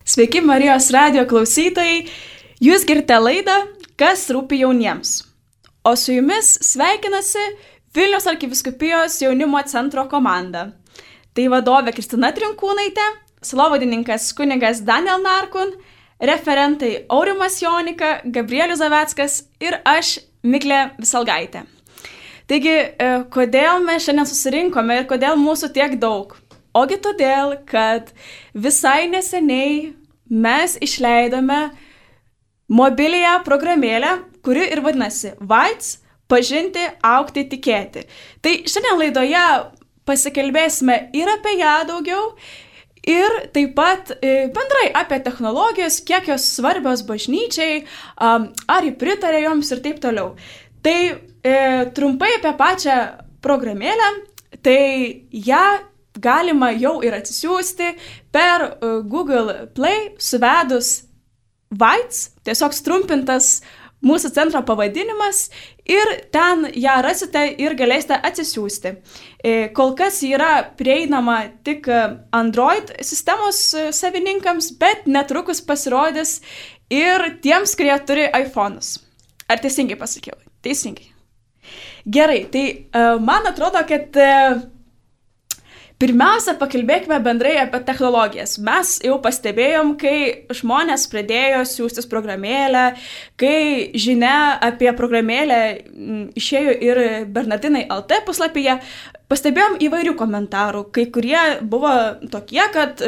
Sveiki Marijos radio klausytojai, jūs girdite laidą Kas rūpi jauniems. O su jumis sveikinasi Vilniaus arkivyskupijos jaunimo centro komanda. Tai vadovė Kristina Trinkūnaitė, sielovadininkas kunigas Daniel Narkun, referentai Aurimas Jonika, Gabrielius Zaveckas ir aš, Miglė Visalgaitė. Taigi, kodėl mes šiandien susirinkome ir kodėl mūsų tiek daug? Ogi todėl, kad visai neseniai mes išleidome mobiliąją programėlę, kuri ir vadinasi VAITS – pažinti, augti, tikėti. Tai šiandien laidoje pasikalbėsime ir apie ją daugiau, ir taip pat bendrai apie technologijas, kiek jos svarbios bažnyčiai, ar ji pritarė joms ir taip toliau. Tai trumpai apie pačią programėlę, tai ją galima jau ir atsisiųsti per Google Play suvedus VAITS, tiesiog trumpintas mūsų centro pavadinimas ir ten ją rasite ir galėsite atsisiųsti. Kol kas yra prieinama tik Android sistemos savininkams, bet netrukus pasirodys ir tiems, kurie turi iPhone'us. Ar teisingai pasakiau? Teisingai. Gerai, tai man atrodo, kad pirmiausia, pakalbėkime bendrai apie technologijas. Mes jau pastebėjom, kai žmonės pradėjo siųstis programėlę, kai žinia apie programėlę išėjo ir Bernardinai LT puslapyje, pastebėjom įvairių komentarų. Kai kurie buvo tokie, kad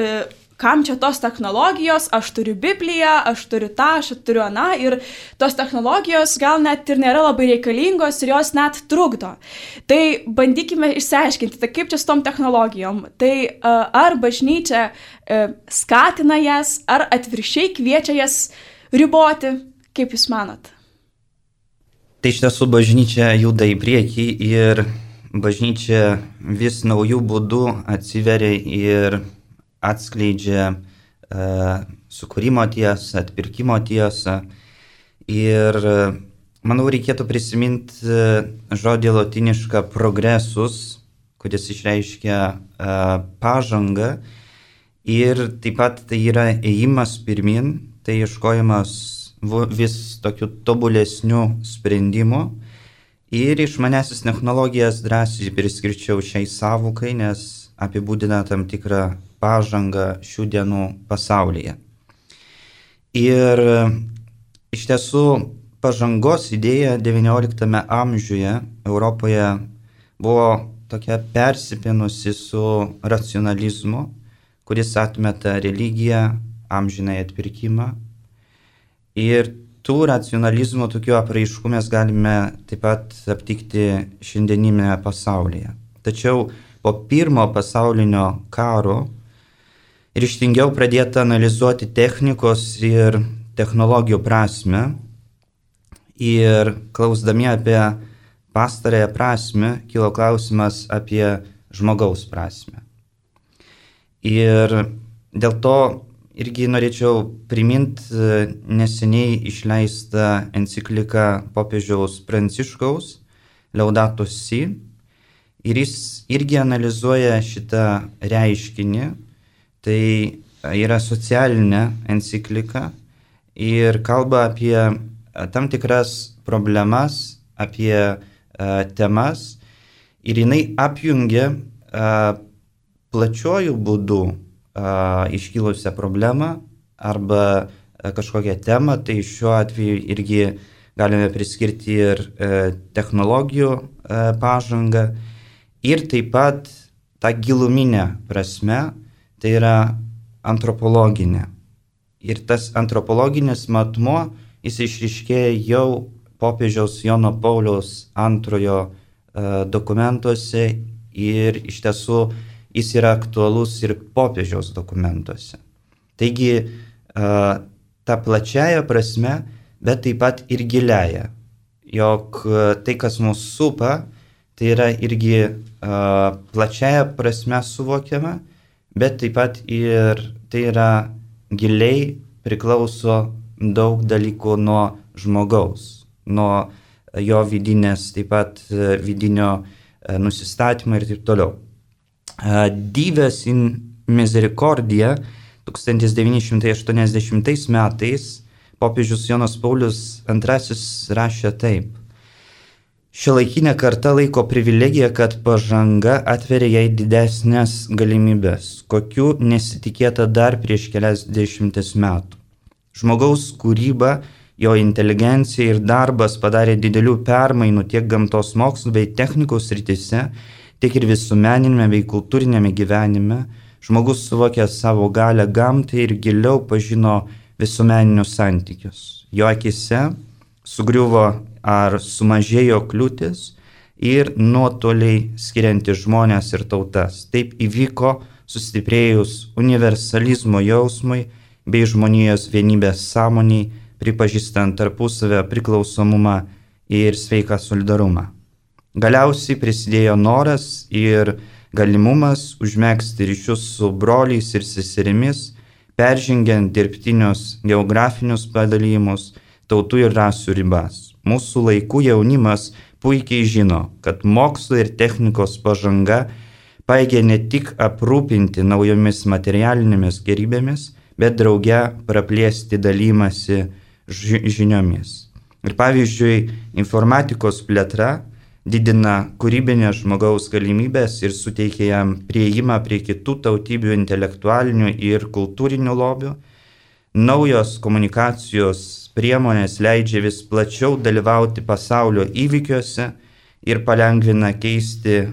kam čia tos technologijos, aš turiu Bibliją, aš turiu tą, aš turiu aną ir tos technologijos gal net ir nėra labai reikalingos ir jos net trukdo. Tai bandykime išsiaiškinti, tai kaip čia su tom technologijom. Tai ar bažnyčia skatina jas, ar atvirkščiai kviečia jas riboti, kaip jūs manot? Tai iš tiesų bažnyčia juda į priekį ir bažnyčia vis naujų būdų atsiveria ir atskleidžia sukūrimo tiesą, atpirkimo tiesą. Ir manau, reikėtų prisiminti žodį lotinišką progresus, kuris išreiškia pažangą. Ir taip pat tai yra ėjimas pirmin, tai ieškojimas vis tokių tobulesnių sprendimų. Ir išmanesis technologijas drąsiai priskirčiau šiai sąvokai, nes apibūdina tam tikrą pažangą šių dienų pasaulyje. Ir iš tiesų pažangos idėja XIX amžiuje Europoje buvo tokia persipinusi su racionalizmu, kuris atmeta religiją, amžinąjį atpirkimą. Ir tų racionalizmo tokių apraiškų mes galime taip pat aptikti šiandieninėme pasaulyje. Tačiau po pirmo pasaulinio karo ryžtingiau pradėta analizuoti technikos ir technologijų prasme ir klausdami apie pastarąją prasme kilo klausimas apie žmogaus prasme. Ir dėl to irgi norėčiau priminti neseniai išleistą encikliką popiežiaus Pranciškaus Laudato Si ir jis irgi analizuoja šitą reiškinį. Tai yra socialinė enciklika ir kalba apie tam tikras problemas, apie temas ir jinai apjungia plačiojų būdų iškilusią problemą arba kažkokią temą, tai šiuo atveju irgi galime priskirti ir technologijų pažangą ir taip pat tą giluminę prasme, tai yra antropologinė. Ir tas antropologinis matmuo, jis išryškėja jau popiežiaus Jono Pauliaus antrojo dokumentuose ir iš tiesų jis yra aktualus ir popiežiaus dokumentuose. Taigi, ta plačiaja prasme, bet taip pat ir giliaja, jog tai, kas mus supa, tai yra irgi plačiaja prasme suvokiama, bet taip pat ir tai yra giliai priklauso daug dalykų nuo žmogaus, nuo jo vidinės, taip pat vidinio nusistatymo ir taip toliau. Dives in misericordia 1980 metais popiežius Jonas Paulius II rašė taip. Šiuolaikinė karta laiko privilegiją, kad pažanga atveria jai didesnės galimybės, kokių nesitikėta dar prieš kelias dešimtis metų. Žmogaus kūryba, jo inteligencija ir darbas padarė didelių permainų tiek gamtos mokslų bei technikos srityse, tiek ir visuomeninėme bei kultūrinėme gyvenime. Žmogus suvokė savo galią gamtai ir giliau pažino visuomeninius santykius. Jo akise sugriuvo ar sumažėjo kliūtis ir nuotoliai skirianti žmonės ir tautas. Taip įvyko sustiprėjus universalizmo jausmui bei žmonijos vienybės sąmoniai, pripažįstant tarpusavę priklausomumą ir sveiką solidarumą. Galiausiai prisidėjo noras ir galimumas užmegzti ryšius su broliais ir seserimis, peržengiant dirbtinius geografinius padalymus, tautų ir rasių ribas. Mūsų laikų jaunimas puikiai žino, kad mokslo ir technikos pažanga pajėgia ne tik aprūpinti naujomis materialinėmis gerybėmis, bet drauge praplėsti dalymasi žiniomis. Ir pavyzdžiui, informatikos plėtra didina kūrybinės žmogaus galimybės ir suteikia jam prieimą prie kitų tautybių intelektualinių ir kultūrinių lobių. Naujos komunikacijos priemonės leidžia vis plačiau dalyvauti pasaulio įvykiuose ir palengvina keisti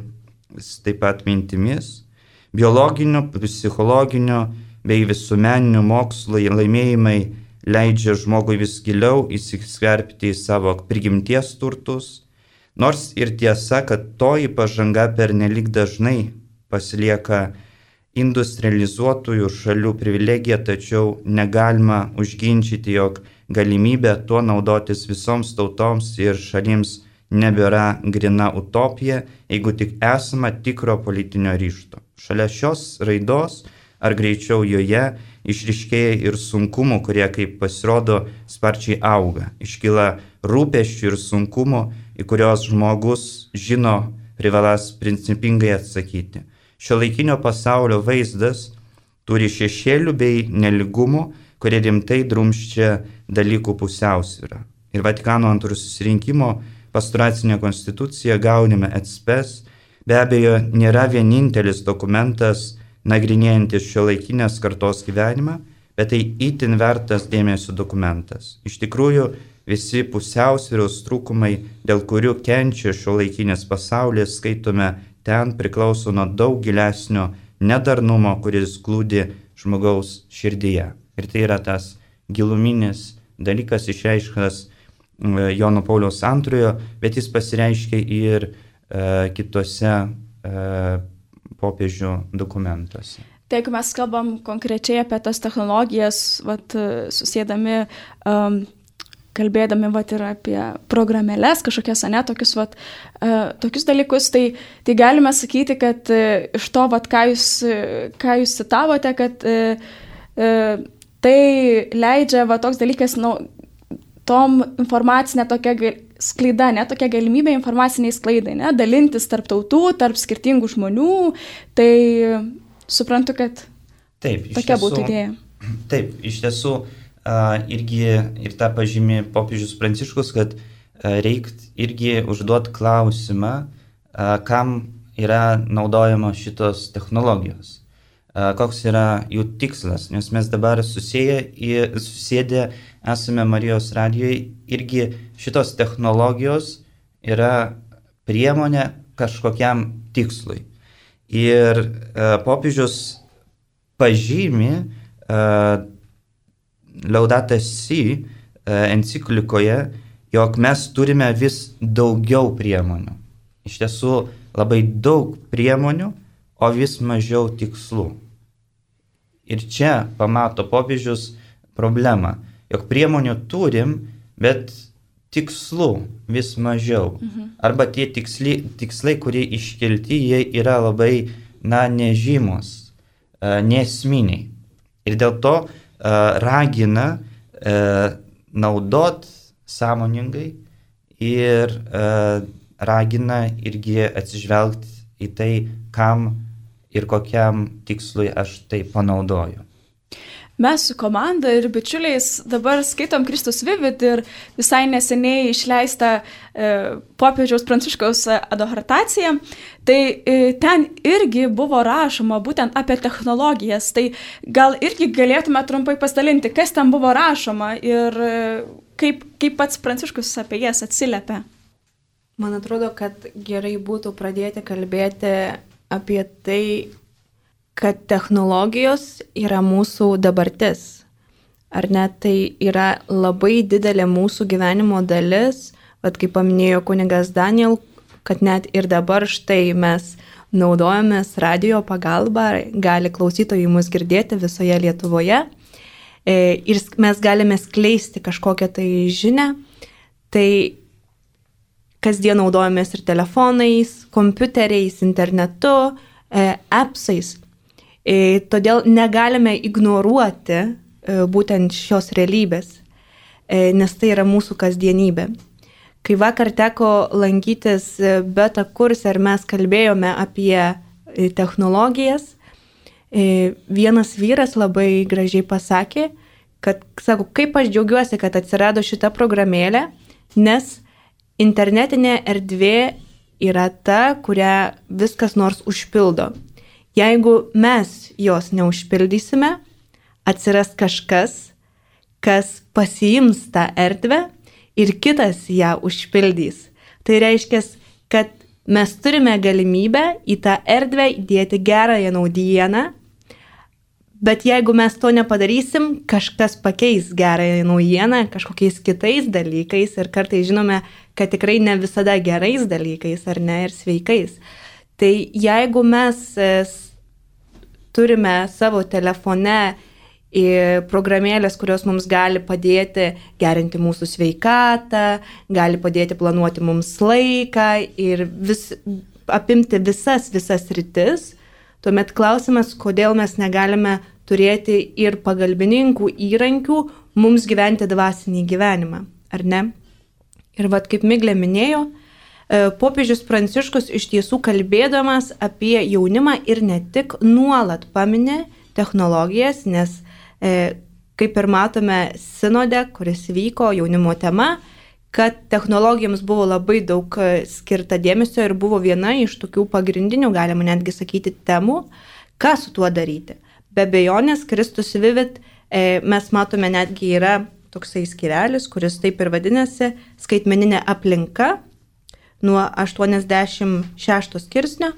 taip pat mintimis. Biologinių, psichologinių bei visuomeninių mokslo laimėjimai leidžia žmogui vis giliau įsiskverbti į savo prigimties turtus, nors ir tiesa, kad toji pažanga pernelyg dažnai pasilieka industrializuotųjų šalių privilegija, tačiau negalima užginčyti, jog galimybė tuo naudotis visoms tautoms ir šalims nebėra grina utopija, jeigu tik esama tikro politinio ryžto. Šalia šios raidos, ar greičiau joje, išryškėja ir sunkumų, kurie, kaip pasirodo, sparčiai auga. Iškyla rūpesčių ir sunkumų, į kurios žmogus žino privalas principingai atsakyti. Šiuolaikinio pasaulio vaizdas turi šešėlių bei neligumų, kurie rimtai drumsčia dalykų pusiausvyrą. Ir Vatikano antrojo susirinkimo pastoracinė konstitucija Gaudium et Spes be abejo nėra vienintelis dokumentas nagrinėjantis šiuolaikinės kartos gyvenimą, bet tai itin vertas dėmesio dokumentas. Iš tikrųjų, visi pusiausvyros trūkumai, dėl kurių kenčia šiuolaikinis pasaulis, skaitome ten, priklauso nuo daug gilesnio nedarnumo, kuris glūdi žmogaus širdyje. Ir tai yra tas giluminis dalykas išreišktas Jono Pauliaus II, bet jis pasireiškia ir kitose popiežių dokumentuose. Tai jeigu mes kalbam konkrečiai apie tas technologijas, susėdami, kalbėdami ir apie programėlės, kažkokias, tokius dalykus, tai galime sakyti, kad iš to, ką jūs citavote, kad tai leidžia toks dalykas, tom informacinė tokia sklaida, tokia galimybė informaciniai sklaidai, dalintis tarp tautų, tarp skirtingų žmonių, tai suprantu, kad tokia būtų idėja. Taip, iš tiesų irgi ir tą pažymė popiežius Pranciškus, kad reikia irgi užduoti klausimą, kam yra naudojama šitos technologijos, koks yra jų tikslas, nes mes dabar susėdę esame Marijos radijoje, irgi šitos technologijos yra priemonė kažkokiam tikslui. Ir popiežius pažymi Laudato Si enciklikoje, jog mes turime vis daugiau priemonių. Iš tiesų labai daug priemonių, o vis mažiau tikslų. Ir čia pamato popiežius problemą, jog priemonių turim, bet tikslų vis mažiau. Arba tie tikslai, kurie iškelti, jie yra labai, nežymus, nesminiai. Ir dėl to ragina naudot sąmoningai ir ragina irgi atsižvelgti į tai, kam ir kokiam tikslui aš tai panaudoju. Mes su komanda ir bičiuliais dabar skaitom Kristus Vivid ir visai neseniai išleistą popiežiaus Pranciškaus adhortaciją. Tai ten irgi buvo rašoma būtent apie technologijas. Tai gal irgi galėtume trumpai pasidalinti, kas ten buvo rašoma ir kaip pats Pranciškus apie jas atsiliepia. Man atrodo, kad gerai būtų pradėti kalbėti apie tai, kad technologijos yra mūsų dabartis. Ar ne, tai yra labai didelė mūsų gyvenimo dalis, vat kaip paminėjo kunigas Daniel, kad net ir dabar štai mes naudojamės radio pagalba, gali klausytojai mus girdėti visoje Lietuvoje ir mes galime skleisti kažkokią tai žinią. Tai kasdien naudojamės ir telefonais, kompiuteriais, internetu, appsais. Todėl negalime ignoruoti būtent šios realybės, nes tai yra mūsų kasdienybė. Kai vakar teko lankytis beta kurse ir mes kalbėjome apie technologijas, vienas vyras labai gražiai pasakė, kad, sako, kaip aš džiaugiuosi, kad atsirado šita programėlė, nes internetinė erdvė yra ta, kurią viskas nors užpildo. Jeigu mes jos neužpildysime, atsiras kažkas, kas pasiims tą erdvę ir kitas ją užpildys. Tai reiškia, kad mes turime galimybę į tą erdvę įdėti gerąją naujieną, bet jeigu mes to nepadarysim, kažkas pakeis gerąją naujieną kažkokiais kitais dalykais ir kartais žinome, kad tikrai ne visada gerais dalykais ar ne ir sveikais. Tai jeigu mes turime savo telefone programėlės, kurios mums gali padėti gerinti mūsų sveikatą, gali padėti planuoti mums laiką ir apimti visas rytis, tuomet klausimas, kodėl mes negalime turėti ir pagalbininkų įrankių mums gyventi dvasinį gyvenimą, ar ne? Ir vat kaip Miglė minėjo, popiežius Pranciškus iš tiesų kalbėdamas apie jaunimą ir ne tik nuolat paminė technologijas, nes kaip ir matome sinode, kuris vyko jaunimo tema, kad technologijoms buvo labai daug skirta dėmesio ir buvo viena iš tokių pagrindinių, galima netgi sakyti, temų, ką su tuo daryti. Be abejonės, Kristus Vivid mes matome netgi yra toksai skyrelis, kuris taip ir vadinasi skaitmeninė aplinka nuo 86 skirsnio.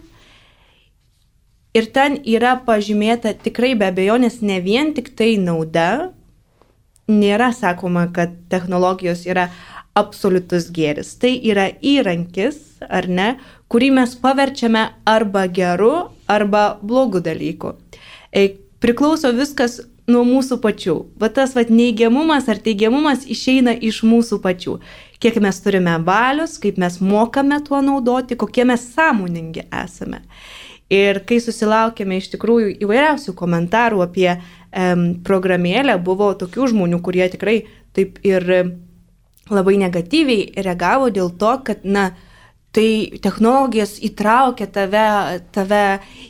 Ir ten yra pažymėta tikrai be abejonės ne vien tik tai nauda, nėra sakoma, kad technologijos yra absoliutus gėris. Tai yra įrankis, ar ne, kurį mes paverčiame arba geru, arba blogu dalyku. Priklauso viskas nuo mūsų pačių. Va tas neigiamumas ar teigiamumas išeina iš mūsų pačių. Kiek mes turime valios, kaip mes mokame tuo naudoti, kokie mes sąmoningi esame. Ir kai susilaukėme iš tikrųjų įvairiausių komentarų apie programėlę, buvo tokių žmonių, kurie tikrai taip ir labai negatyviai reagavo dėl to, kad, tai technologijos įtraukia tave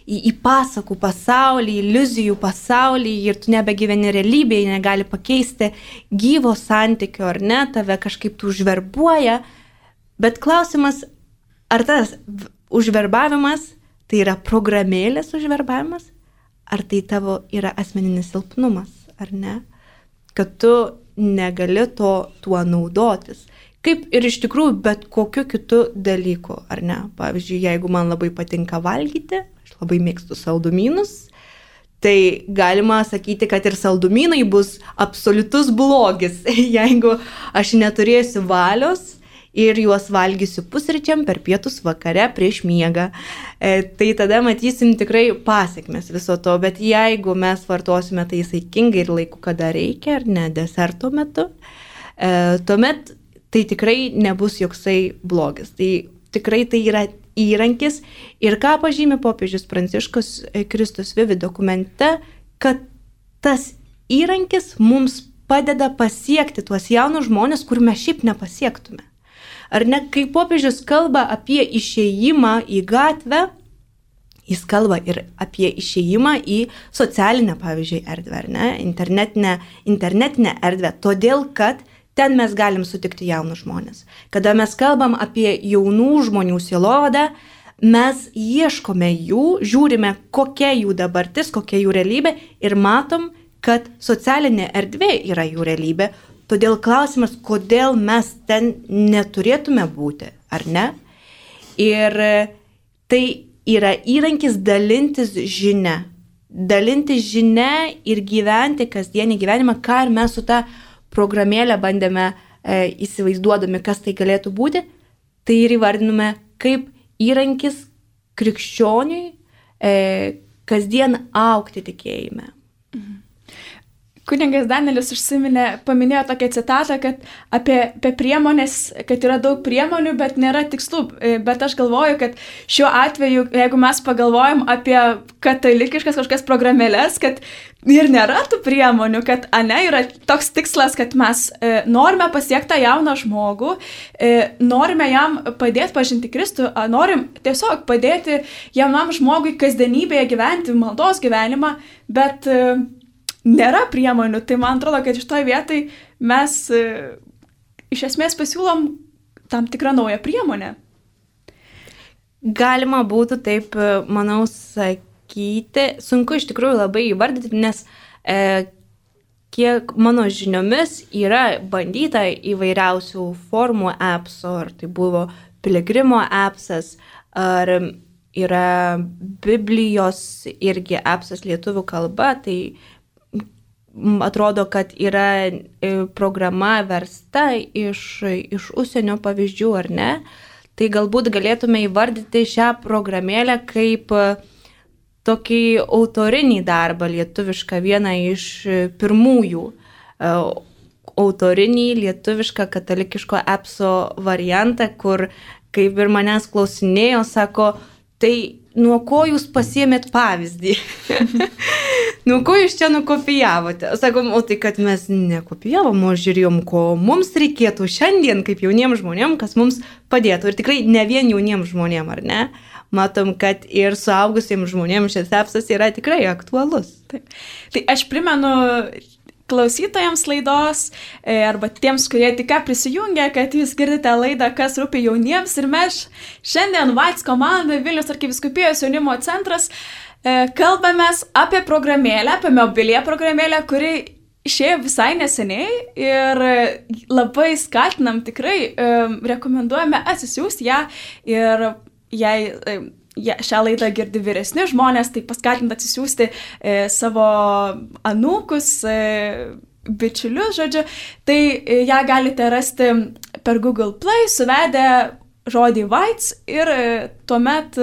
į pasakų pasaulį, iliuzijų pasaulį ir tu nebegyveni realybėje, negali pakeisti gyvo santykio, ar ne, tave kažkaip tu užverbuoja. Bet klausimas, ar tas užverbavimas tai yra programėlės užverbavimas, ar tai tavo yra asmeninis silpnumas, ar ne? Kad tu negali tuo naudotis. Kaip ir iš tikrųjų bet kokiu kitu dalyku, ar ne? Pavyzdžiui, jeigu man labai patinka valgyti, aš labai mėgstu saldumynus, tai galima sakyti, kad ir saldumynai bus absoliutus blogis, jeigu aš neturėsiu valios ir juos valgysiu pusryčiam, per pietus, vakare, prieš miegą. Tai tada matysim tikrai pasekmes viso to, bet jeigu mes vartosime tai saikingai ir laiku, kada reikia, ar ne, deserto metu, tuomet tai tikrai nebus joksai blogis. Tai tikrai tai yra įrankis ir ką pažymi popiežius Pranciškus Kristus Vivid dokumente, kad tas įrankis mums padeda pasiekti tuos jaunus žmonės, kur mes šiaip nepasiektume. Ar ne, kai popiežius kalba apie išėjimą į gatvę, jis kalba ir apie išėjimą į socialinę, pavyzdžiui, erdvę, ar ne, internetinę erdvę, todėl kad ten mes galim sutikti jaunus žmonės. Kada mes kalbam apie jaunų žmonių sielovadą, mes ieškome jų, žiūrime, kokia jų dabartis, kokia jų realybė ir matom, kad socialinė erdvė yra jų realybė. Todėl klausimas, kodėl mes ten neturėtume būti, ar ne? Ir tai yra įrankis dalintis žinia ir gyventi kasdienį gyvenimą, ką ir mes su ta programėlė bandėme įsivaizduodami, kas tai galėtų būti, tai ir įvardinome kaip įrankis krikščioniui kasdien augti tikėjime. Kunigas Danielis paminėjo tokią citatą, kad apie priemonės, kad yra daug priemonių, bet nėra tikslų. Bet aš galvoju, kad šiuo atveju, jeigu mes pagalvojam apie katalikiškas kažkokias programėlės, kad ir nėra tų priemonių, kad yra toks tikslas, kad mes norime pasiekti tą jauną žmogų, norime jam padėti pažinti Kristų, norim tiesiog padėti jaunam žmogui kasdienybėje gyventi maldos gyvenimą, bet nėra priemonių, tai man atrodo, kad iš toj vietai mes iš esmės pasiūlom tam tikrą naują priemonę. Galima būtų taip, manau, sakyti, sunku iš tikrųjų labai įvardyti, nes kiek mano žiniomis yra bandyta įvairiausių formų appsų, ar tai buvo Piligrimo appsas, ar yra Biblijos irgi appsas lietuvių kalba, tai atrodo, kad yra programa versta iš užsienio pavyzdžių, ar ne? Tai galbūt galėtume įvardyti šią programėlę kaip tokį autorinį darbą lietuvišką, vieną iš pirmųjų autorinį lietuvišką katalikiško appso variantą, kur, kaip ir manęs klausinėjo, sako, tai nuo ko jūs pasiėmėt pavyzdį? Nuo ko jūs čia nukopijavote? Sakom, o tai kad mes nekopijavom, o žiūrėjom, ko mums reikėtų šiandien kaip jauniems žmonėm, kas mums padėtų. Ir tikrai ne vien jauniems žmonėm, ar ne? Matom, kad ir suaugusiems žmonėms šis appsas yra tikrai aktualus. Taip. Tai aš primenu klausytojams laidos arba tiems, kurie tik prisijungia, kad jūs girdite laidą Kas rūpi jauniems ir mes šiandien VAITS komanda Vilniaus arkivyskupijos jaunimo centras kalbamės apie programėlę, apie mobilią programėlę, kuri išėjo visai neseniai ir labai skatinam, tikrai rekomenduojame atsisiųsti ją ir jei šią laidą girdi vyresni žmonės, tai paskatint atsisiųsti savo anūkus, bičiulius, žodžiu, tai ją galite rasti per Google Play, suvedę žodį VAITS ir tuomet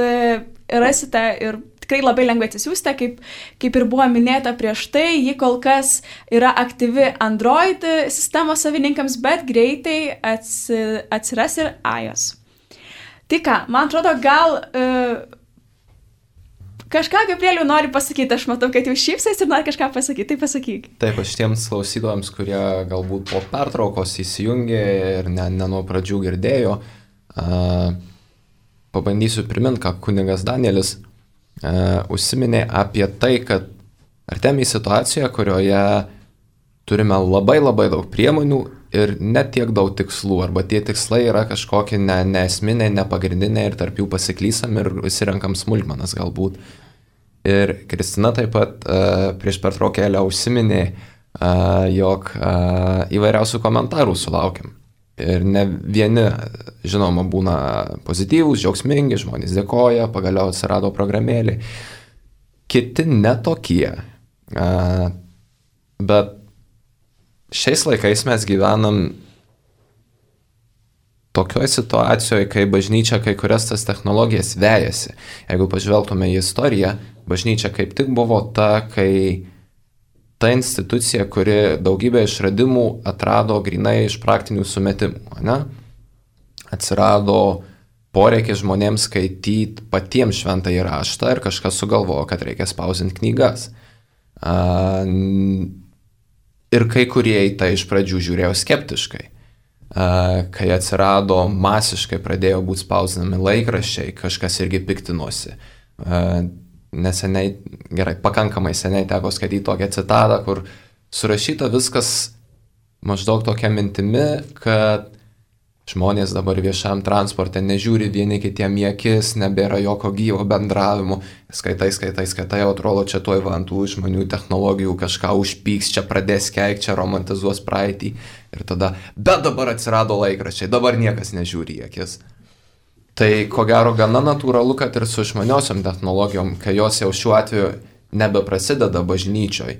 rasite ir tikrai labai lengvai atsisiųsti, kaip ir buvo minėta prieš tai, ji kol kas yra aktyvi Android sistemos savininkams, bet greitai atsiras ir iOS. Tai ką, man atrodo, gal kažką Gabrieliau nori pasakyti, aš matau, kad jau šypsais ir nori kažką pasakyti, tai pasakyk. Taip, aš tiems klausytojams, kurie galbūt po pertraukos įsijungė ir ne nuo pradžių girdėjo, pabandysiu priminti, ką kunigas Danielis užsiminė apie tai, kad artėjame į situaciją, kurioje turime labai daug priemonių ir net tiek daug tikslų, arba tie tikslai yra kažkokie neesminiai, nepagrindiniai ir tarp jų pasiklysam ir įsirenkam smulkmenas galbūt. Ir Kristina taip pat prieš pertraukėlę užsiminė, jog įvairiausių komentarų sulaukiam. Ir ne vieni, žinoma, būna pozityvūs, džiaugsmingi, žmonės dėkoja, pagaliau atsirado programėlė. Kiti netokie. Bet šiais laikais mes gyvenam tokioje situacijoje, kai bažnyčia kai kurias tas technologijas vejasi. Jeigu pažvelgtume į istoriją, bažnyčia kaip tik buvo kai ta institucija, kuri daugybę išradimų atrado grinai iš praktinių sumetimų. Ne? Atsirado poreikis žmonėms skaityti patiems šventąjį raštą ir kažkas sugalvojo, kad reikia spausdinti knygas. Ir kai kurie į tai iš pradžių žiūrėjo skeptiškai. Kai atsirado masiškai pradėjo būti spausdinami laikraščiai, kažkas irgi piktinosi. neseniai, pakankamai seniai teko skaityti tokią citatą, kur surašyta viskas maždaug tokia mintimi, kad žmonės dabar viešam transporte nežiūri vieni kitiem į akis, nebėra jokio gyvo bendravimo, skaitai, atrodo, čia tuoj ant tų žmonių technologijų kažką užpyks, čia pradės keikti, čia romantizuos praeitį ir tada, bet dabar atsirado laikraščiai, dabar niekas nežiūri į akis. Tai ko gero gana natūralu, kad ir su išmaniosiom technologijom, kai jos jau šiuo atveju nebeprasideda bažnyčioj,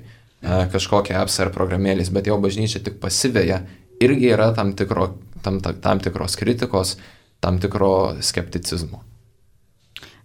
kažkokie apps ar programėlės, bet jau bažnyčia tik pasiveja, irgi yra tam tikros kritikos, tam tikro skepticizmo.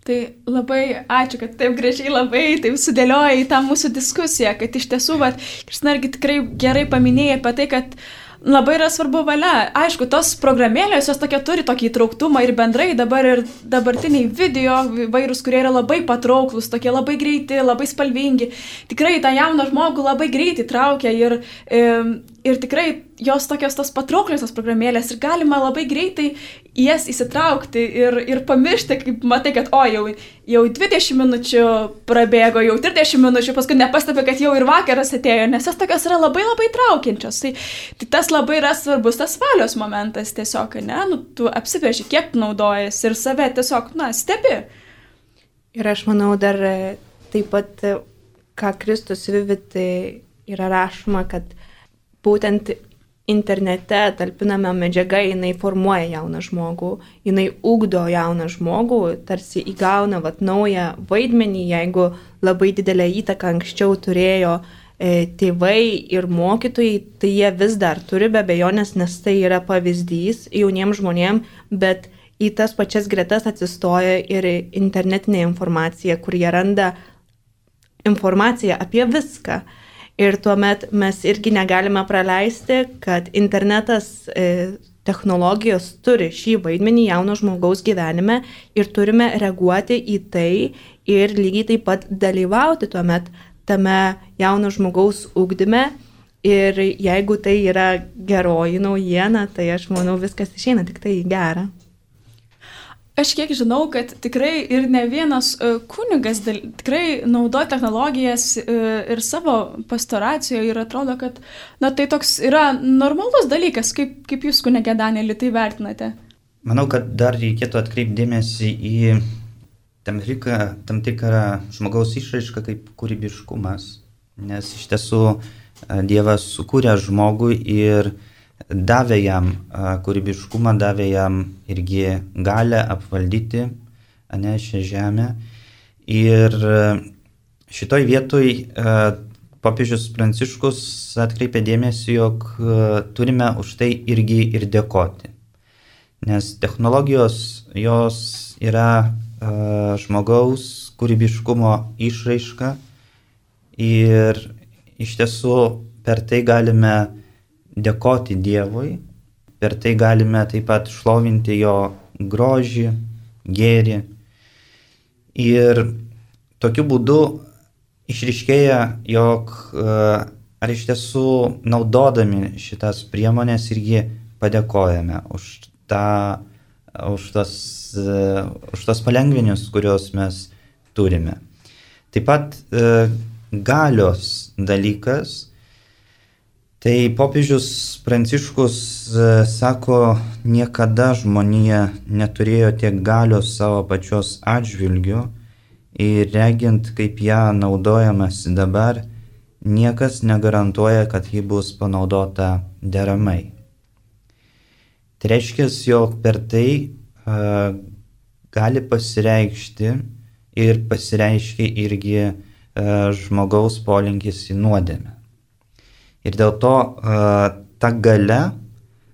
Tai labai ačiū, kad taip gražiai labai taip sudėlioja į tą mūsų diskusiją, kad iš tiesų, Kristina irgi tikrai gerai paminėjai apie tai, kad labai yra svarbu valia. Aišku, tos programėlės, jos turi tokį įtrauktumą ir bendrai dabar ir dabartiniai video vairūs, kurie yra labai patrauklus, tokie labai greiti, labai spalvingi. Tikrai tą jauną žmogų labai greitai traukia ir tikrai jos tokios tos patrauklios programėlės ir galima labai greitai jas įsitraukti ir pamiršti, kaip matai, kad jau 20 minučių prabėgo, jau 30 minučių, paskui nepastebi, kad jau ir vakaras atėjo, nes jos tokios yra labai labai traukiančios. Tai tas labai yra svarbus, tas valios momentas tiesiog, tu apsiveži, kiek naudojasi ir save tiesiog, stebi. Ir aš manau dar taip pat, ką Kristus Vivit yra rašoma, kad būtent internete talpinama medžiaga, jinai formuoja jauną žmogų, jinai ugdo jauną žmogų, tarsi įgauna naują vaidmenį, jeigu labai didelę įtaką anksčiau turėjo tėvai ir mokytojai, tai jie vis dar turi be abejonės, nes tai yra pavyzdys jauniems žmonėms, bet į tas pačias gretas atsistoja ir internetinė informacija, kur jie randa informaciją apie viską. Ir tuomet mes irgi negalime praleisti, kad internetas, technologijos turi šį vaidmenį jauno žmogaus gyvenime ir turime reaguoti į tai ir lygiai taip pat dalyvauti tuomet tame jauno žmogaus ugdyme. Ir jeigu tai yra geroji naujiena, tai aš manau viskas išeina tik tai gera. Aš kiek žinau, kad tikrai ir ne vienas kunigas tikrai naudoja technologijas ir savo pastoracijoje ir atrodo, kad tai toks yra normalus dalykas, kaip jūs, kunige Danieli, tai vertinate. Manau, kad dar reikėtų atkreipti dėmesį į tam tikrą žmogaus išraišką kaip kūrybiškumas, nes iš tiesų Dievas sukūrė žmogų ir davė jam kūrybiškumą, davė jam irgi galę apvaldyti šią žemę. Ir šitoj vietoj popiežius Pranciškus atkreipė dėmesį, jog turime už tai irgi ir dėkoti. Nes technologijos, jos yra žmogaus kūrybiškumo išraiška ir iš tiesų per tai galime dėkoti Dievui, per tai galime taip pat šlovinti jo grožį, gėrį. Ir tokiu būdu išryškėja, jog ar iš tiesų naudodami šitas priemonės irgi padėkojame už tos palengvinius, kuriuos mes turime. Taip pat galios dalykas. Tai popiežius Pranciškus sako, niekada žmonija neturėjo tiek galios savo pačios atžvilgių ir regint, kaip ją naudojamasi dabar, niekas negarantuoja, kad ji bus panaudota deramai. Tai reiškia, jog per tai gali pasireikšti ir pasireiškia irgi žmogaus polinkis į nuodėmę. Ir dėl to ta galia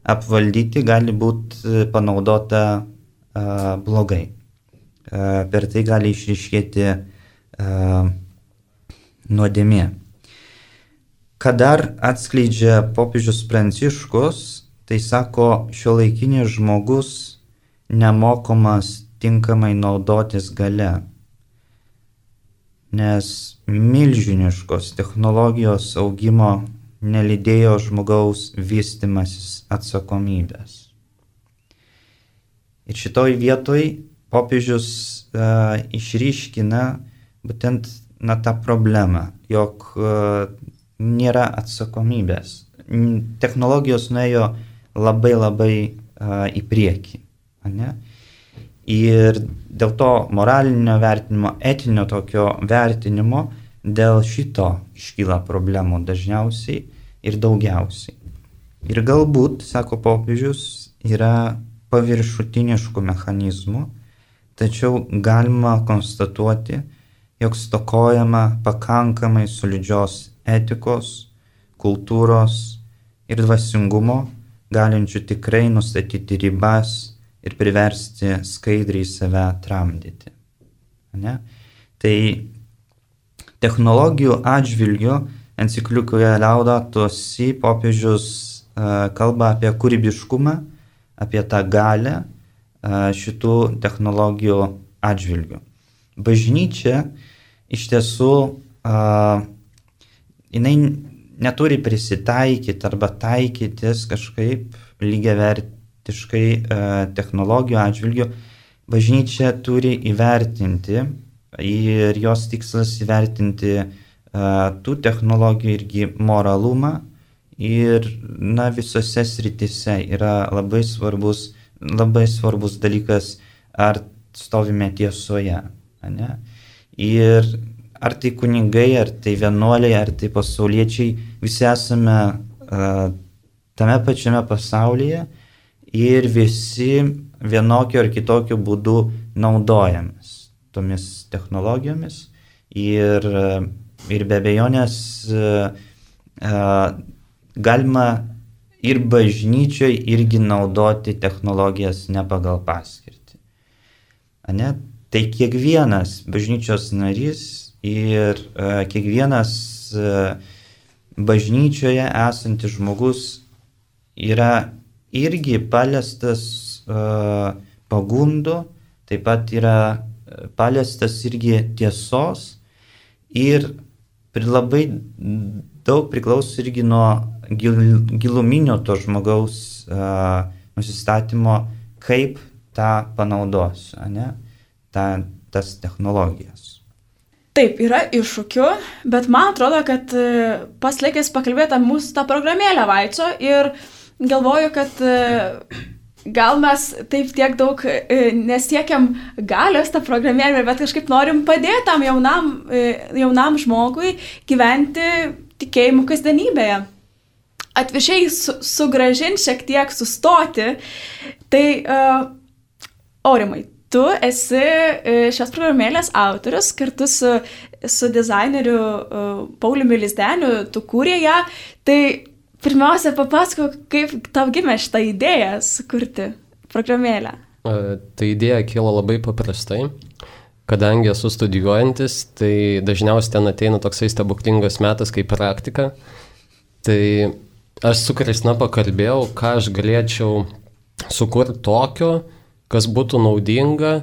apvaldyti gali būti panaudota blogai. Per tai gali išryškėti nuodėmė. Ką dar atskleidžia popiežius Pranciškus, tai sako, šiuolaikinis žmogus nemokomas tinkamai naudotis galia, nes milžiniškos technologijos augimo nelydėjo žmogaus vystymasis atsakomybės. Ir šitoj vietoj popiežius išryškina būtent tą problemą, jog nėra atsakomybės. Technologijos nuėjo labai į priekį. Ne? Ir dėl to moralinio vertinimo, etinio tokio vertinimo, dėl šito iškyla problemų dažniausiai ir daugiausiai. Ir galbūt, sako popiežius, yra paviršutiniškų mechanizmų, tačiau galima konstatuoti, jog stokojama pakankamai solidžios etikos, kultūros ir dvasingumo, galinčių tikrai nustatyti ribas ir priversti skaidriai save tramdyti. Ne? Tai technologijų atžvilgiu enciklikoje Laudato Si popiežius kalba apie kūrybiškumą, apie tą galę šitų technologijų atžvilgiu. Bažnyčia iš tiesų jinai neturi prisitaikyti arba taikytis kažkaip lygiavertiškai technologijų atžvilgių. Bažnyčia turi įvertinti ir jos tikslas įvertinti tų technologijų irgi moralumą ir visose srityse yra labai svarbus dalykas, ar stovime tiesoje. Ne? Ir ar tai kunigai, ar tai vienuoliai, ar tai pasauliečiai, visi esame tame pačiame pasaulyje ir visi vienokiu ar kitokiu būdu naudojamės tomis technologijomis ir be abejonės galima ir bažnyčioje irgi naudoti technologijas ne pagal paskirtį. Ne? Tai kiekvienas bažnyčios narys ir kiekvienas bažnyčioje esantis žmogus yra irgi paliestas pagundų, taip pat yra paliestas irgi tiesos ir labai daug priklauso irgi nuo giluminio to žmogaus nusistatymo, kaip tą panaudos, ne? Tas technologijas. Taip, yra iššūkių, bet man atrodo, kad pats laikas pakalbėti apie mūsų tą programėlę Vaico ir galvoju, kad gal mes taip tiek daug nesiekiam galios tą programėlę, bet kažkaip norim padėti tam jaunam žmogui gyventi tikėjimu kasdienybėje. Atviršiai sugrąžinti šiek tiek, sustoti. Tai Aurimai, tu esi šios programėlės autorius, kartu su dizaineriu Pauliumi Lizdeniu, tu kūrė ją. Tai pirmiausia, papasakok, kaip tau gimė šitą idėją sukurti programėlę. Tai idėja kilo labai paprastai. Kadangi esu studijuojantis, tai dažniausiai ten ateina toksai stebuklingas metas kaip praktika. Tai aš su Kristina pakalbėjau, ką aš galėčiau sukurti tokio, kas būtų naudinga,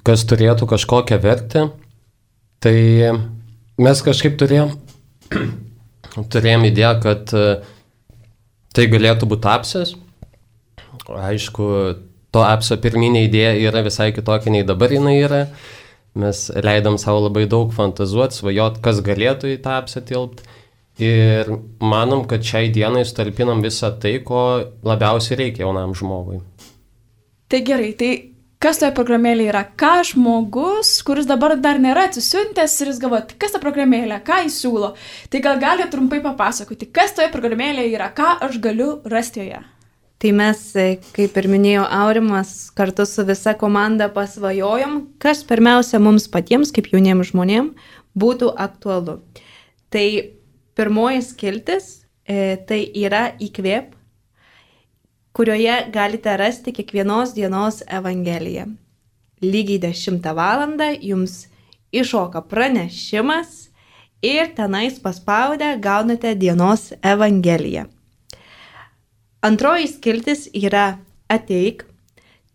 kas turėtų kažkokią vertę. Tai mes kažkaip turėjom idėją, kad tai galėtų būti apsas. Aišku, to apso pirminė idėja yra visai kitokia nei dabar jinai yra. Mes leidom savo labai daug fantazuoti, svajot, kas galėtų į tą apsą tilpti. Ir manom, kad šiai dienai sutalpinam visą tai, ko labiausiai reikia jaunam žmogui. Tai gerai, tai kas toje programėlėje yra? Ką žmogus, kuris dabar dar nėra atsisiuntęs ir jis galvoja, kas ta programėlė, ką jis siūlo? Tai gal gali trumpai papasakoti, kas toje programėlėje yra, ką aš galiu rasti joje? Tai mes, kaip ir minėjo Aurimas, kartu su visa komanda pasvajojom, kas pirmiausia mums patiems, kaip jauniems žmonėms, būtų aktualu. Tai pirmoji skiltis, tai yra įkvėp, kurioje galite rasti kiekvienos dienos evangeliją. Lygiai 10 valandą jums iššoka pranešimas ir tenais paspaudę gaunate dienos evangeliją. Antroji skiltis yra ateik,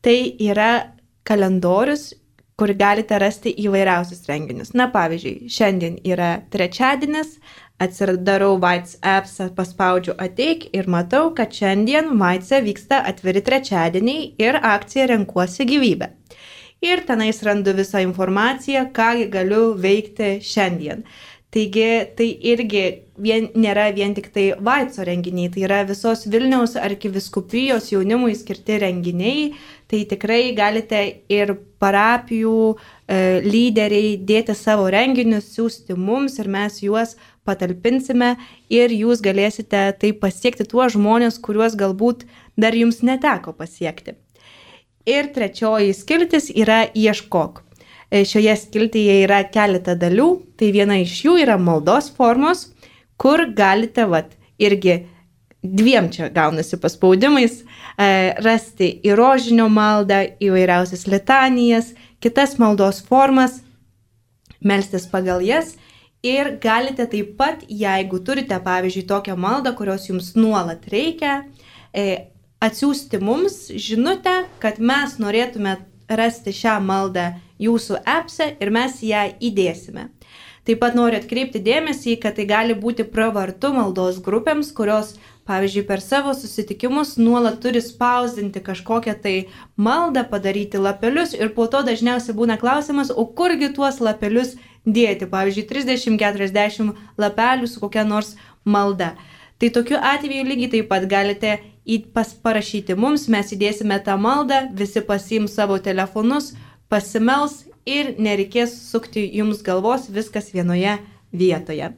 tai yra kalendorius, kur galite rasti įvairiausius renginius. Na pavyzdžiui, šiandien yra trečiadienis, Atsidarau Vaits appsą, paspaudžiu ateik ir matau, kad šiandien Vaitse vyksta atviri trečiadieniai ir akcija Renkuosi gyvybę. Ir tenais randu visą informaciją, ką galiu veikti šiandien. Taigi tai irgi nėra vien tik tai Vaitso renginiai, tai yra visos Vilniaus arkivyskupijos jaunimui skirti renginiai. Tai tikrai galite ir parapijų lyderiai dėti savo renginius, siūsti mums ir mes juos patalpinsime ir jūs galėsite tai pasiekti tuos žmonės, kuriuos galbūt dar jums neteko pasiekti. Ir trečioji skiltis yra ieškok. Šioje skiltyje yra keletą dalių, tai viena iš jų yra maldos formos, kur galite irgi dviem čia gaunasi paspaudimais rasti į rožinio maldą, įvairiausias litanijas, kitas maldos formas, melstis pagal jas ir galite taip pat, jeigu turite pavyzdžiui tokią maldą, kurios jums nuolat reikia, atsiųsti mums žinutę, kad mes norėtume rasti šią maldą jūsų appse ir mes ją įdėsime. Taip pat noriu atkreipti dėmesį, kad tai gali būti pravartu maldos grupėms, kurios, pavyzdžiui, per savo susitikimus nuolat turi spausdinti kažkokią tai maldą, padaryti lapelius ir po to dažniausiai būna klausimas, o kurgi tuos lapelius dėti, pavyzdžiui, 30-40 lapelių su kokia nors malda. Tai tokiu atveju lygiai taip pat galite parašyti mums, mes įdėsime tą maldą, visi pasiims savo telefonus, pasimels ir nereikės sukti jums galvos, viskas vienoje vietoje.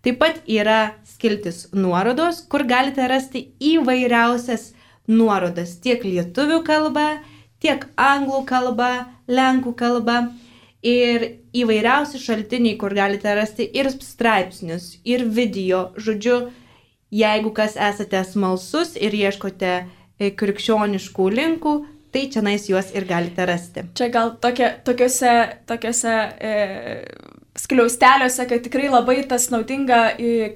Taip pat yra skiltis nuorodos, kur galite rasti įvairiausias nuorodas tiek lietuvių kalba, tiek anglų kalba, lenkų kalba ir įvairiausi šaltiniai, kur galite rasti ir straipsnius, ir video, žodžiu, jeigu kas esate smalsus ir ieškote krikščioniškų linkų, tai čionais juos ir galite rasti. Čia gal tokiuose skliausteliuose, kad tikrai labai tas naudinga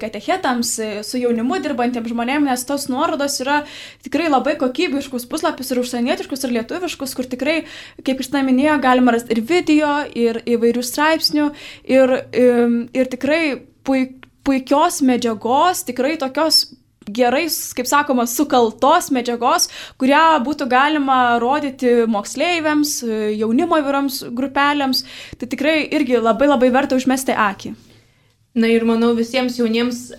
katechetams, su jaunimu dirbantiems žmonėms, nes tos nuorodos yra tikrai labai kokybiškus puslapius ir užsienietiškus ir lietuviškus, kur tikrai, kaip Kristina minėjo, galima rasti ir video, ir įvairių straipsnių, ir tikrai puikios medžiagos, tikrai tokios gerai, kaip sakoma, sukaltos medžiagos, kurią būtų galima rodyti moksleiviams, jaunimo įvairioms grupelėms. Tai tikrai irgi labai labai verta užmesti akį. Na ir manau visiems jauniems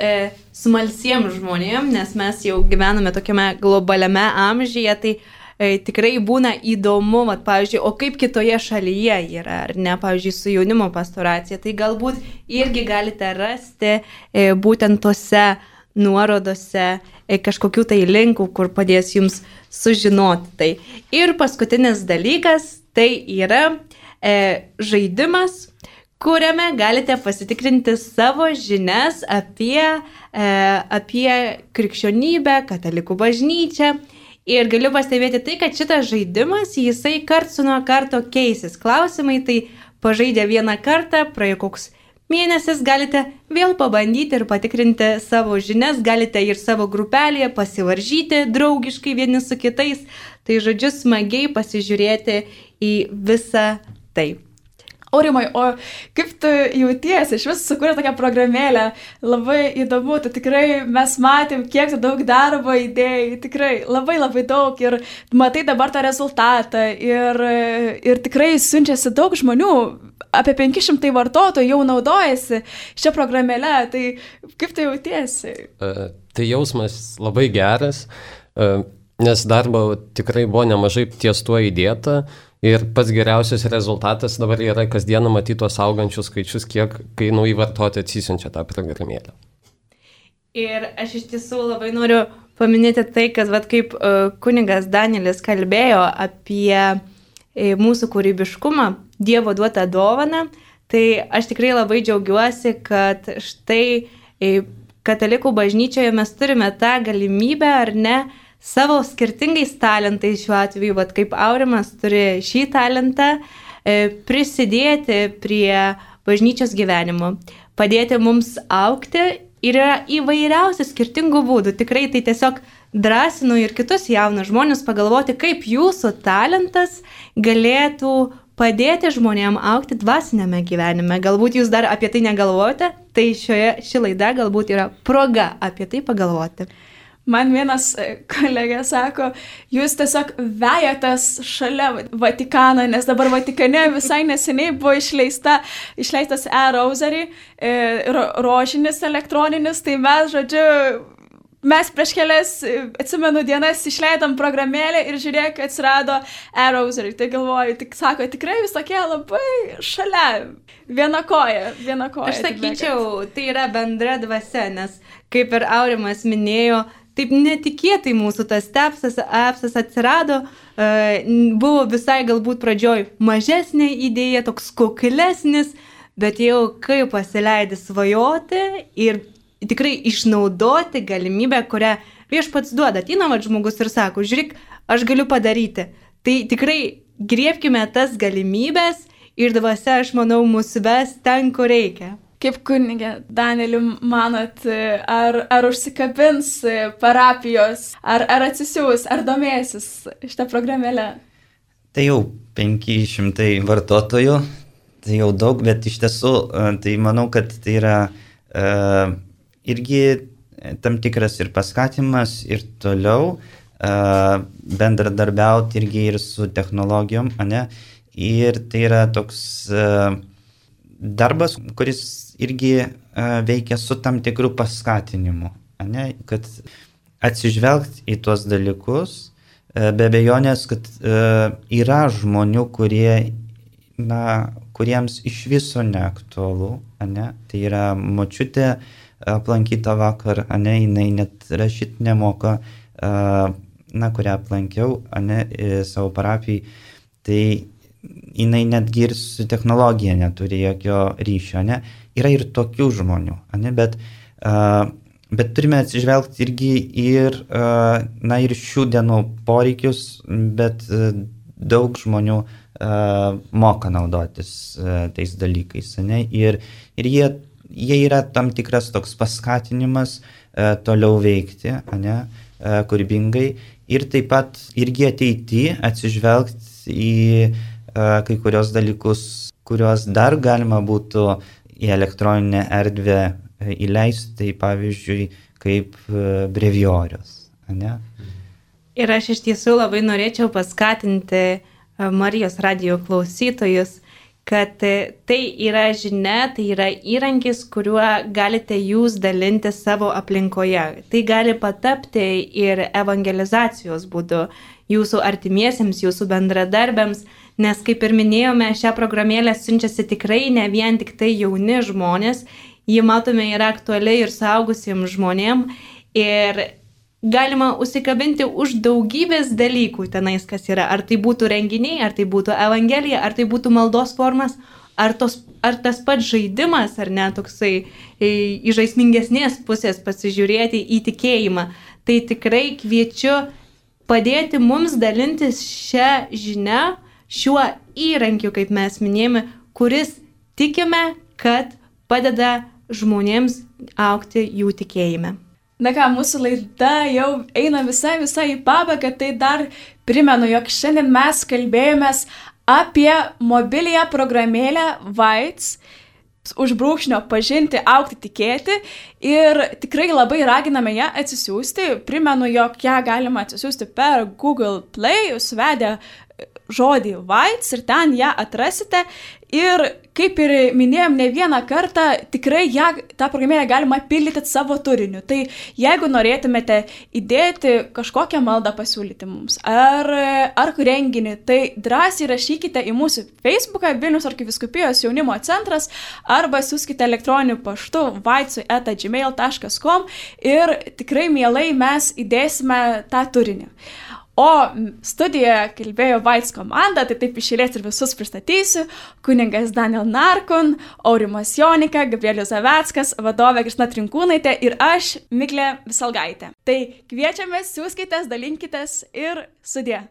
smalsiems žmonėms, nes mes jau gyvename tokiame globaliame amžiuje, tai tikrai būna įdomu, pavyzdžiui, o kaip kitoje šalyje yra, ar ne, pavyzdžiui, su jaunimo pastoracija, tai galbūt irgi galite rasti būtent tose nuorodose kažkokių tai linkų, kur padės jums sužinoti tai. Ir paskutinis dalykas, tai yra žaidimas, kuriame galite pasitikrinti savo žinias apie krikščionybę, katalikų bažnyčią. Ir galiu pastebėti tai, kad šitas žaidimas, jisai karts nuo karto keisis. Klausimai tai pažaidę vieną kartą, praėjo koks mėnesis, galite vėl pabandyti ir patikrinti savo žinias, galite ir savo grupelėje pasivaržyti draugiškai vieni su kitais. Tai žodžiu, smagiai pasižiūrėti į visą tai. Aurimai, o kaip tu jautiesi? Iš vis sukūrė tokią programėlę, labai įdomu, tu tikrai mes matėm, kiek tu daug darbo įdėjai, tikrai labai labai daug ir matai dabar tą rezultatą ir tikrai siunčiasi daug žmonių, apie 500 vartotojų jau naudojasi šią programėlę, tai kaip tu jautiesi? Tai jausmas labai geras, nes darbo tikrai buvo nemažai ties tuo įdėta. Ir pats geriausias rezultatas dabar yra kasdieną matyti tuos augančius skaičius, kiek kai nauji vartotojai atsisiunčia tą programėlę. Ir aš iš tiesų labai noriu paminėti tai, kad kaip kunigas Danielis kalbėjo apie mūsų kūrybiškumą, Dievo duotą dovaną, tai aš tikrai labai džiaugiuosi, kad štai katalikų bažnyčioje mes turime tą galimybę, ar ne, savo skirtingais talentais, šiuo atveju, kaip Aurimas turi šį talentą, prisidėti prie bažnyčios gyvenimo, padėti mums augti ir yra įvairiausių skirtingų būdų. Tikrai tai tiesiog drąsinu ir kitus jaunus žmonės pagalvoti, kaip jūsų talentas galėtų padėti žmonėm augti dvasinėme gyvenime. Galbūt jūs dar apie tai negalvojate, tai ši laida galbūt yra proga apie tai pagalvoti. Man vienas kolegė sako, jūs tiesiog vejatės šalia Vatikano, nes dabar Vatikane visai neseniai buvo išleistas e-rosary, rožinis elektroninis, tai mes prieš kelias, atsimenu, dienas išleidom programėlę ir žiūrėk, atsirado e-rosary. Tai galvoju, sako, tikrai vis tokie labai šalia, viena koja. Aš sakyčiau, tai yra bendra dvasia, nes kaip ir Aurimas minėjo, taip netikėtai mūsų tas appsas atsirado, buvo visai galbūt pradžioj mažesnė idėja, toks kuklesnis, bet jau kai pasileidai svajoti ir tikrai išnaudoti galimybę, kurią Viešpats duoda. Ateina žmogus ir sako, žiūrėk, aš galiu padaryti. Tai tikrai griebkime tas galimybės ir dvasia, aš manau, mus ves ten, kur reikia. Kaip kunigė Danieliu manot, ar užsikabins parapijos, ar atsisiūs, ar domėsis šitą programėlę? Tai jau 500 vartotojų, tai jau daug, bet iš tiesų, tai manau, kad tai yra irgi tam tikras ir paskatimas ir toliau bendradarbiauti irgi ir su technologijom, ane? Ir tai yra toks darbas, kuris irgi veikia su tam tikru paskatinimu, ane? Kad atsižvelgti į tuos dalykus, be abejonės, kad yra žmonių, kuriems iš viso neaktualu, ane? Tai yra močiutė aplankyta vakar, ane, jinai net rašyt nemoka, kurią aplankiau, ane, savo parapijai, tai jinai netgi ir su technologija neturi jokio ryšio, ane. Yra ir tokių žmonių, ane, bet turime atsižvelgti irgi ir šių dienų poreikius, bet daug žmonių moka naudotis tais dalykais, ane, ir jie yra tam tikras toks paskatinimas toliau veikti, ane, kūrybingai ir taip pat irgi ateityje atsižvelgti į kai kurios dalykus, kuriuos dar galima būtų į elektroninę erdvę įleisti, tai pavyzdžiui, kaip brevijorius, ane? Ir aš iš tiesų labai norėčiau paskatinti Marijos radijo klausytojus, kad tai yra žinia, tai yra įrankis, kuriuo galite jūs dalinti savo aplinkoje. Tai gali patapti ir evangelizacijos būdu jūsų artimiesiems, jūsų bendradarbiams, nes kaip ir minėjome, šią programėlę siunčiasi tikrai ne vien tik tai jauni žmonės, ji matome yra aktuali ir suaugusiems žmonėm ir galima užsikabinti už daugybės dalykų tenais, kas yra. Ar tai būtų renginiai, ar tai būtų evangelija, ar tai būtų maldos formas, ar tas pats žaidimas, ar ne, toksai į žaismingesnės pusės pasižiūrėti į tikėjimą. Tai tikrai kviečiu padėti mums dalintis šią žinią, šiuo įrankiu, kaip mes minėjome, kuris tikime, kad padeda žmonėms augti jų tikėjime. Na ką, mūsų laida jau eina visai į pabaigą, tai dar primenu, jog šiandien mes kalbėjomės apie mobiliąją programėlę Vaits, užbrūkšnio pažinti, augti, tikėti ir tikrai labai raginame ją atsisiųsti. Primenu, jog ją galima atsisiųsti per Google Play, suvedę žodį Vaits ir ten ją atrasite. Ir kaip ir minėjom ne vieną kartą, tikrai tą programėlę galima pildyti savo turiniu. Tai jeigu norėtumėte įdėti kažkokią maldą pasiūlyti mums ar renginį, tai drąsiai rašykite į mūsų Facebooką Vilniaus arkivyskupijos jaunimo centras arba siųskite elektroniniu paštu vaitsui@gmail.com ir tikrai mielai mes įdėsime tą turinį. O studijoje kalbėjo Vaits komanda, tai taip iš eilės ir visus pristatysiu. Kunigas Daniel Narkun, Aurimas Jonika, Gabrielius Zaveckas, vadovė Kristina Trinkūnaitė ir aš, Miglė Visalgaitė. Tai kviečiame, siųskitės, dalinkitės ir sudie.